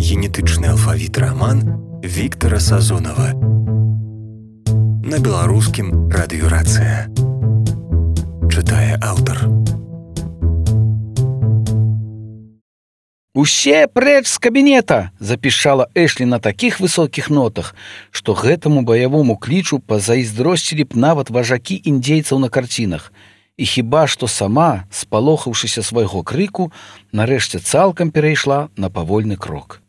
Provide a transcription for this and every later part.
генетычны алфавіт раман Віктара Сазонава. На беларускім радыёрацыя. Чытае аўтар. «Усе прэч з кабінета!» запішала Эшлі на такіх высокіх нотах, што гэтаму баявому клічу пазайздросцілі б нават важакі індзейцаў на карцінах. І хіба што сама, спалохаўшыся свайго крыку, нарэшце цалкам перайшла на павольны крок.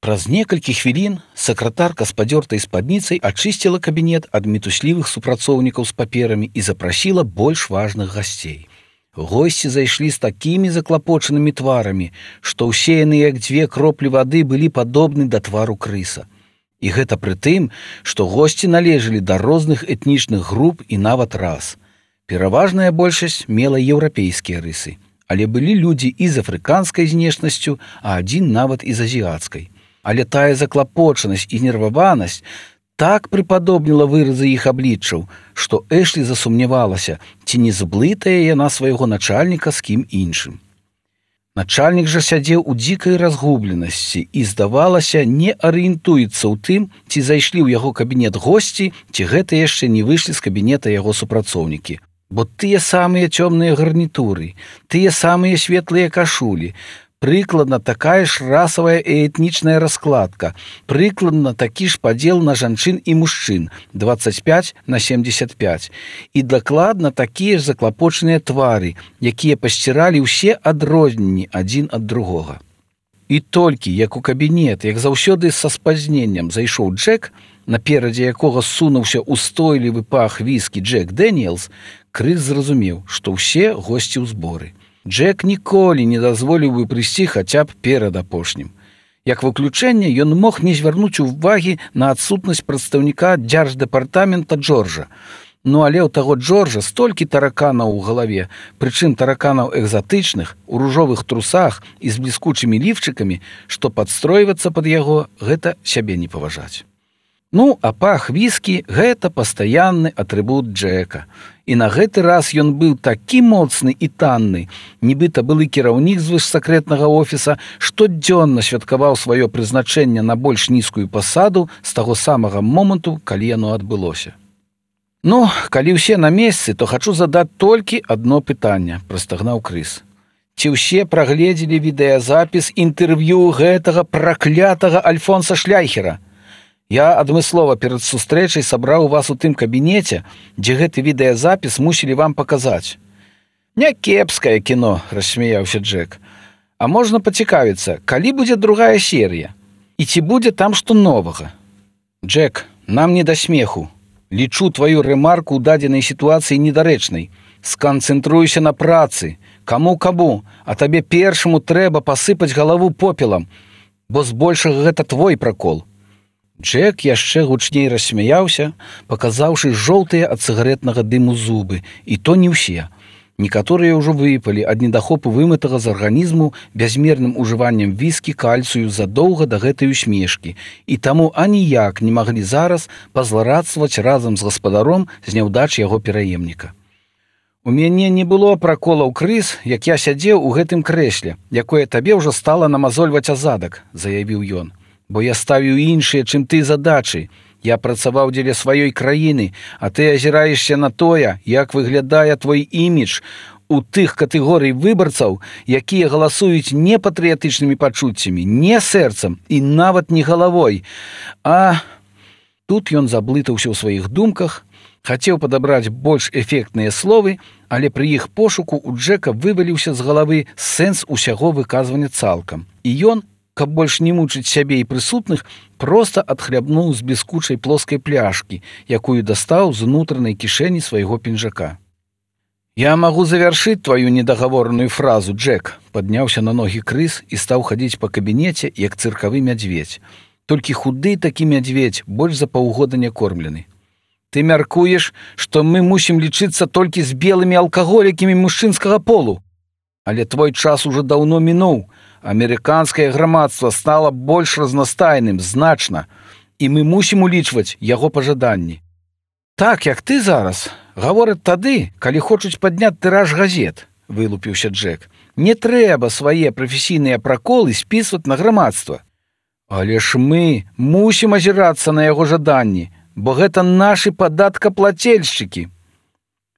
Праз некалькі хвілін сакратарка з падзёртай спадніцай ачысціла кабінет ад мітуслівых супрацоўнікаў з паперамі і запрасіла больш важных гасцей. Госці зайшлі з такімі заклапочанымі тварамі, што ўсе яны, як дзве кроплі вады, былі падобны да твару крыса. І гэта пры тым, што госці належалі да розных этнічных груп і нават рас. Пераважная большасць мела еўрапейскія рысы, але былі людзі і з афрыканскай знешнасцю, а адзін нават і з азіяцкай. Але тая заклапочанасць і нерваванасць так прыпадобніла выразы іх абліччаў, што Эшлі засумнявалася, ці не зблытае яна свайго начальніка з кім іншым. Начальнік жа сядзеў у дзікай разгубленасці і, здавалася, не арыентуецца ў тым, ці зайшлі ў яго кабінет госці, ці гэта яшчэ не выйшлі з кабінета яго супрацоўнікі. Бо тыя самыя цёмныя гарнітуры, тыя самыя светлыя кашулі, прыкладна такая ж расавая і этнічная раскладка, прыкладна такі ж падзел на жанчын і мужчын 25/75 і дакладна такія ж заклапочаныя твары, якія пасціралі ўсе адрозненні адзін ад другога. І толькі, як у кабінет, як заўсёды са спазненнем зайшоў Джек, наперадзе якога сунуўся устойлівы пах віскі Джек Дэніелс, Крыс зразумеў, што ўсе госці ў зборы. Джек ніколі не дазволіў бы прыйсці хаця б перад апошнім. Як выключэнне, ён мог не звярнуць увагі на адсутнасць прадстаўніка дзярждэпартамента Джорджа. Ну але ў таго Джорджа столькі тараканаў у галаве, прычым тараканаў экзатычных, у ружовых трусах і з бліскучымі ліфчыкамі, што падстройвацца пад яго, гэта сябе не паважаць. Ну, а пах віскі – гэта пастаянны атрыбут Джека. І на гэты раз ён быў такі моцны і танны, нібыта былы кіраўнік звышсакрэтнага офіса, штодзённа святкаваў сваё прызначэнне на больш нізкую пасаду з таго самага моманту, калі яно адбылося. Ну, калі ўсе на месцы, то хачу задаць толькі адно пытанне, прастагнаў Крыс. Ці ўсе прагледзелі відэазапіс інтэрв'ю гэтага праклятага Альфонса Шляйхера? Я адмыслова перад сустрэчай сабраў вас у тым кабінеце, дзе гэты відэазапіс мусілі вам паказаць. Някепскае кіно, рассмяяўся Джек. А можна пацікавіцца, калі будзе другая серія? І ці будзе там што новага? Джек, нам не да смеху. Лічу тваю рэмарку ў дадзенай сітуацыі недарэчнай. Сканцэнтруйся на працы. Каму, а табе першаму трэба пасыпаць галаву попелам, бо збольшага гэта твой пракол. Джек яшчэ гучней рассмяяўся, паказаўшы жоўтыя ад цыгарэтнага дыму зубы, і то не ўсе. Некаторыя ўжо выпалі ад недахопу вымытага з арганізму бязмерным ужываннем віскі кальцыю задоўга да гэтай усмешкі, і таму аніяк не маглі зараз пазларадстваваць разам з гаспадаром з няўдач яго пераемніка. У мяне не было праколаў, Крыс, як я сядзеў у гэтым крэсле, якое табе ўжо стала намазольваць азадак, заявіў ён. Бо я ставіў іншыя, чым ты, задачы. Я працаваў дзеля сваёй краіны, а ты азіраешся на тое, як выглядае твой імідж у тых катэгорый выбарцаў, якія галасуюць не патрыятычнымі пачуццямі, не сэрцам і нават не галавой. А тут ён заблытаўся ў сваіх думках, хацеў падабраць больш эфектныя словы, але пры іх пошуку у Джека вываліўся з галавы сэнс усяго выказвання цалкам. І ён, каб больш не мучыць сябе і прысутных, проста адхлябнуў з бліскучай плоскай пляшкі, якую дастаў з унутранай кішэні свайго пінжака. «Я магу завяршыць тваю недагавораную фразу, Джек», падняўся на ногі Крыс і стаў хадзіць па кабінеце, як цыркавы мядзведзь. Толькі худы такі мядзведзь, больш за паўгода не кормлены. «Ты мяркуеш, што мы мусім лічыцца толькі з белымі алкаголікамі мужчынскага полу? Але твой час ужо даўно мінуў. Амерыканскае грамадства стала больш разнастайным, значна, і мы мусім улічваць яго пажаданні. Так, як ты зараз, гавораць тады, калі хочуць падняць тыраж газет, вылупіўся Джек. Не трэба свае прафесійныя праколы спісваць на грамадства. Але ж мы мусім азірацца на яго жаданні, бо гэта нашы падаткаплацельшчыкі.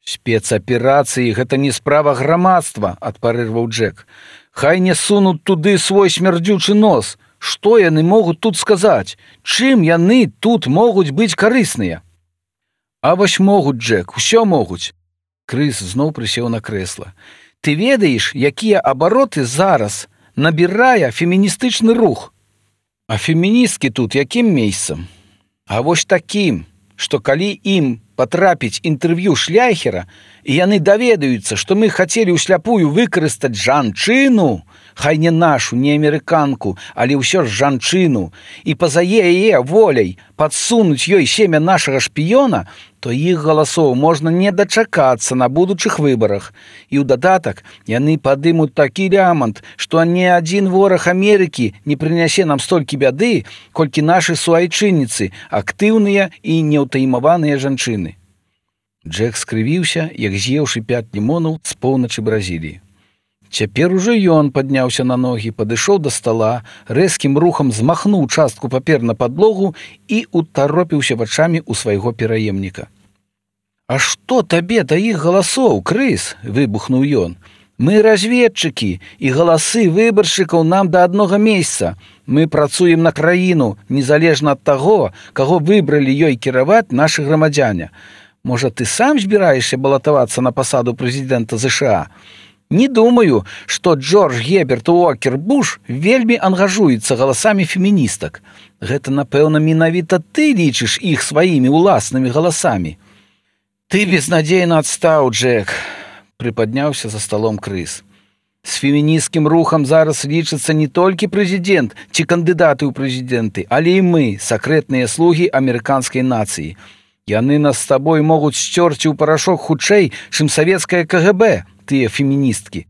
Спецаперацыі гэта не справа грамадства, адпарырваў Джек. Хай не сунуць туды свой смярдзючы нос. Што яны могуць тут сказаць? Чым яны тут могуць быць карысныя? А вось могуць, Джек, усё могуць. Крыс зноў прысеў на крэсла. Ты ведаеш, якія абароты зараз набірае феміністычны рух? А феміністкі тут якім месцам? А вось такім, што калі ім патрапіць інтэрв'ю Шляйхера, і яны даведаюцца, што мы хацелі ўсляпую выкарыстаць жанчыну, хай не нашу, не амерыканку, але ўсё ж жанчыну, і па-за яе воляй падсунуць ёй семя нашага шпіёна, то іх галасоў можна не дачакацца на будучых выбарах. І ў дадатак яны падымуць такі лямант, што ні адзін вораг Амерыкі не прынясе нам столькі бяды, колькі нашы суайчынніцы, актыўныя і неўтаймаваныя жанчыны. Джек скрывіўся, як з'еўшы 5 лімонаў з поўначы Бразіліі. Цяпер ужо ён падняўся на ногі, падышоў да стала, рэзкім рухам змахнуў частку папер на падлогу і утаропіўся вачамі ў свайго пераемніка. «А што табе да іх галасоў, Крыс?» – выбухнуў ён. «Мы разведчыкі, і галасы выбаршчыкаў нам да аднога месца. Мы працуем на краіну, незалежна ад таго, каго выбралі ёй кіраваць нашы грамадзяне. Можа, ты сам збіраешся балатавацца на пасаду прэзідэнта ЗША? Не думаю, што Джордж Герберт Уокер Буш вельмі ангажуецца галасамі феміністак. Гэта, напэўна, менавіта ты лічыш іх сваімі ўласнымі галасамі». «Ты безнадзейна адстаў, Джек», – прыпадняўся за сталом Крыс. «З фемінісцкім рухам зараз лічыцца не толькі прэзідэнт ці кандыдаты ў прэзідэнты, але і мы, сакрэтныя слугі амерыканскай нацыі. Яны нас з табой могуць сцёрці ў парашок хутчэй, чым савецкае КГБ, тыя феміністкі».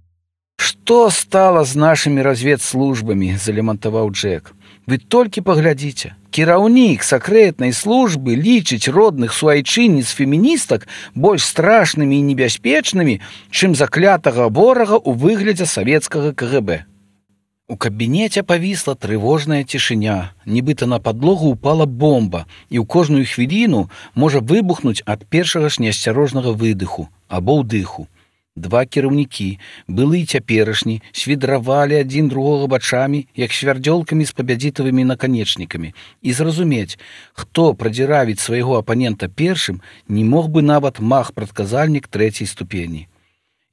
«Што стала з нашымі разведслужбамі?» – залемантаваў Джек. «Вы толькі паглядзіце. Кіраўнік сакрэтнай службы лічыць родных суайчынніц феміністак больш страшнымі і небяспечнымі, чым заклятага ворага ў выглядзе савецкага КГБ». У кабінеце павісла трывожная цішыня, нібыта на падлогу ўпала бомба, і ў кожную хвіліну можа выбухнуць ад першага ж неасцярожнага выдыху або ўдыху. Два кіраўнікі, былы і цяперашні, свідравалі адзін другога бачамі, як свярдзёлкамі з пабядзітавымі наканечнікамі, і зразумець, хто прадзіравіць свайго апанента першым, не мог бы нават маг-прадказальнік 3-й ступені.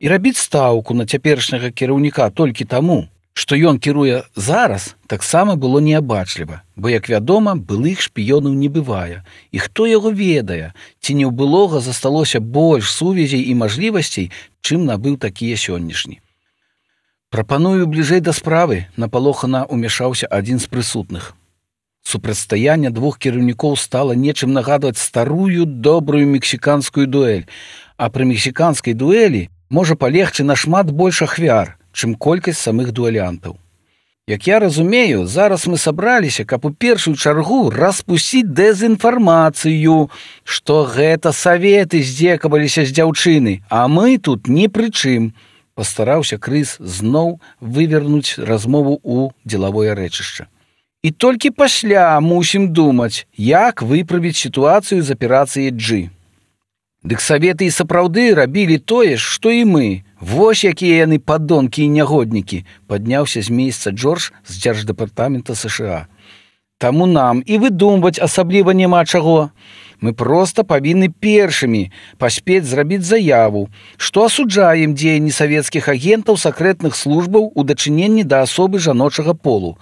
І рабіць стаўку на цяперашняга кіраўніка толькі таму, што ён кіруе зараз, таксама было неабачліва, бо, як вядома, былых шпіёнаў не бывае. І хто яго ведае, ці не ў былога засталося больш сувязей і мажлівасцей, чым набыў такія сённяшні. «Прапаную бліжэй да справы», – напалохана ўмяшаўся адзін з прысутных. Супрацьстаянне двух кіраўнікоў стала нечым нагадваць старую добрую мексіканскую дуэль, а пры мексіканскай дуэлі можа палегчы нашмат больш ахвяр, чым колькасць самых дуэлянтаў. Як я разумею, зараз мы сабраліся, каб у першую чаргу распусціць дэзінфармацыю, што гэта саветы здзекаваліся з дзяўчыны, а мы тут ні пры чым. Пастараўся Крыс зноў вывернуць размову ў дзелавое рэчышча. І толькі пасля мусім думаць, як выправіць сітуацыю з аперацыяй G. Дык саветы і сапраўды рабілі тое ж, што і мы. Вось якія яны падонкі і нягоднікі, падняўся з месца Джордж з дзярждэпартамента США. Таму нам і выдумваць асабліва няма чаго. Мы проста павінны першымі паспець зрабіць заяву, што асуджаем дзеянні савецкіх агентаў сакрэтных службаў у дачыненні да асобы жаночага полу.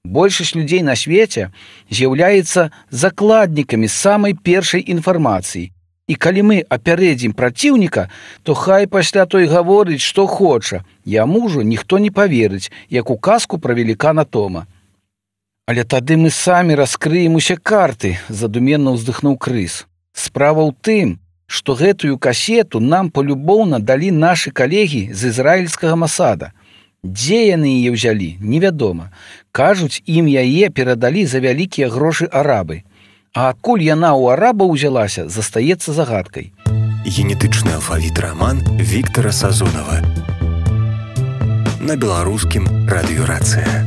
Большасць людзей на свеце з'яўляецца закладнікамі самай першай інфармацыі. І калі мы апярэдзім праціўніка, то хай пасля той гаворыць, што хоча. Яму ўжо ніхто не паверыць, як у казку пра велікана Тома. «Але тады мы самі раскрыем усе карты», – задуменна ўздыхнуў Крыс. «Справа ў тым, што гэтую касету нам полюбоўна далі нашы калегі з ізраільскага Масада. Дзе яны яе ўзялі, невядома. Кажуць, ім яе перадалі за вялікія грошы арабы. А адкуль яна ў арабаў узялася, застаецца загадкай». Генетычны алфавіт раман Віктара Сазонава. На беларускім радыёрацыя.